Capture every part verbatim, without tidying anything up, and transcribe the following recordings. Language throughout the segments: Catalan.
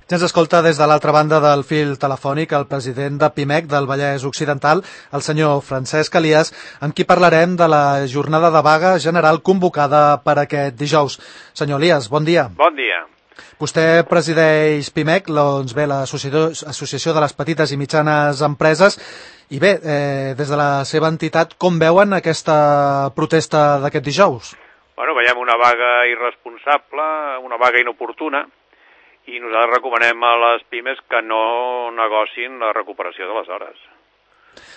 Ja ens escolta des de l'altra banda del fil telefònic el president de PIMEC del Vallès Occidental, el senyor Francesc Elias, amb qui parlarem de la jornada de vaga general convocada per aquest dijous. Senyor Elias, bon dia. Bon dia. Vostè presideix PIMEC, doncs bé, l'Associació de les Petites i Mitjanes Empreses, i bé, eh, des de la seva entitat, com veuen aquesta protesta d'aquest dijous? Bueno, veiem una vaga irresponsable, una vaga inoportuna, i nosaltres recomanem a les pimes que no negocin la recuperació de les hores.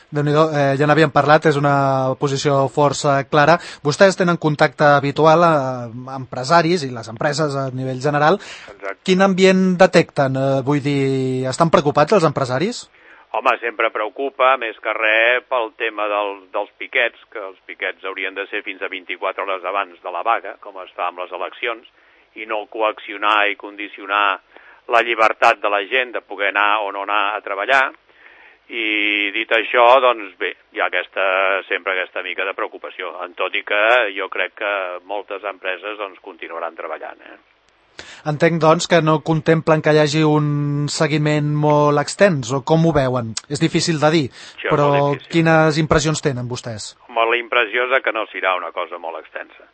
Déu-n'hi-do, eh, ja n'havíem parlat, és una posició força clara. Vostès tenen contacte habitual amb empresaris i les empreses a nivell general. Exacte. Quin ambient detecten? Eh, vull dir, estan preocupats els empresaris? Home, sempre preocupa, més que res, pel tema del, dels piquets, que els piquets haurien de ser fins a vint-i-quatre hores abans de la vaga, com es fa amb les eleccions, i no coaccionar i condicionar la llibertat de la gent de poder anar o no anar a treballar. I dit això, doncs bé, hi ha aquesta, sempre aquesta mica de preocupació, en tot i que jo crec que moltes empreses doncs, continuaran treballant. Eh? Entenc, doncs, que no contemplen que hi hagi un seguiment molt extens, o com ho veuen? És difícil de dir, Això però difícil. Quines impressions tenen vostès? Home, la impressió és que no serà una cosa molt extensa.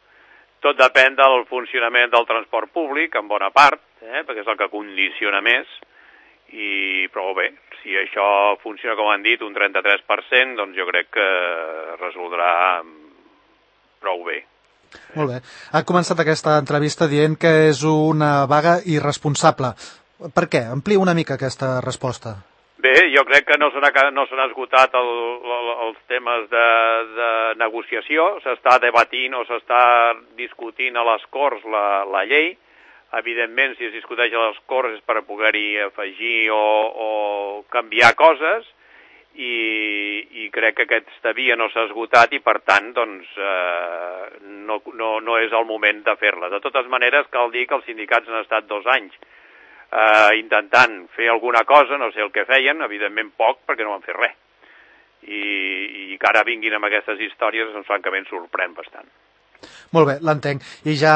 Tot depèn del funcionament del transport públic, en bona part, eh, perquè és el que condiciona més, i però bé, si això funciona, com han dit, un trenta-tres per cent, doncs jo crec que resoldrà prou bé. Molt bé. Ha començat aquesta entrevista dient que és una vaga irresponsable. Per què? Amplia una mica aquesta resposta. Bé, jo crec que no s'han no esgotat el, el, els temes de, de negociació, s'està debatint o s'està discutint a les Corts la, la llei. Evidentment, si es discuteix a les Corts és per poder-hi afegir o, o canviar coses, i, i crec que aquesta via no s'ha esgotat i, per tant, doncs, eh, no, no, no és el moment de fer-la. De totes maneres, cal dir que els sindicats han estat dos anys Uh, intentant fer alguna cosa, no sé el que feien, evidentment poc, perquè no van fer res. I, i que ara vinguin amb aquestes històries, doncs francament sorprèn bastant. Molt bé, l'entenc. I ja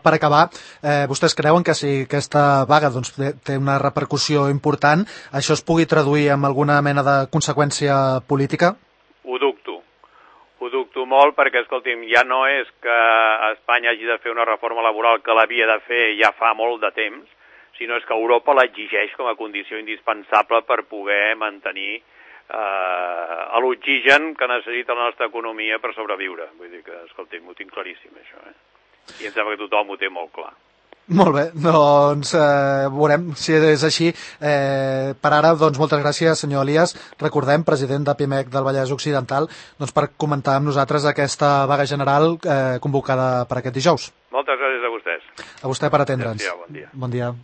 per acabar, eh, vostès creuen que si aquesta vaga doncs, té una repercussió important, això es pugui traduir en alguna mena de conseqüència política? Ho dubto. Ho dubto molt perquè, escolti'm, ja no és que Espanya hagi de fer una reforma laboral que l'havia de fer ja fa molt de temps, sinó és que Europa l'exigeix com a condició indispensable per poder mantenir eh, l'oxigen que necessita la nostra economia per sobreviure. Vull dir que, escolti'm, ho tinc claríssim, això. Eh? I em sembla que tothom ho té molt clar. Molt bé, doncs eh, veurem si és així. Eh, per ara, doncs, moltes gràcies, senyor Elias. Recordem, president de PIMEC del Vallès Occidental, doncs, per comentar amb nosaltres aquesta vaga general eh, convocada per aquest dijous. Moltes gràcies a vostès. A vostè per atendre'ns. Bon dia. Bon dia.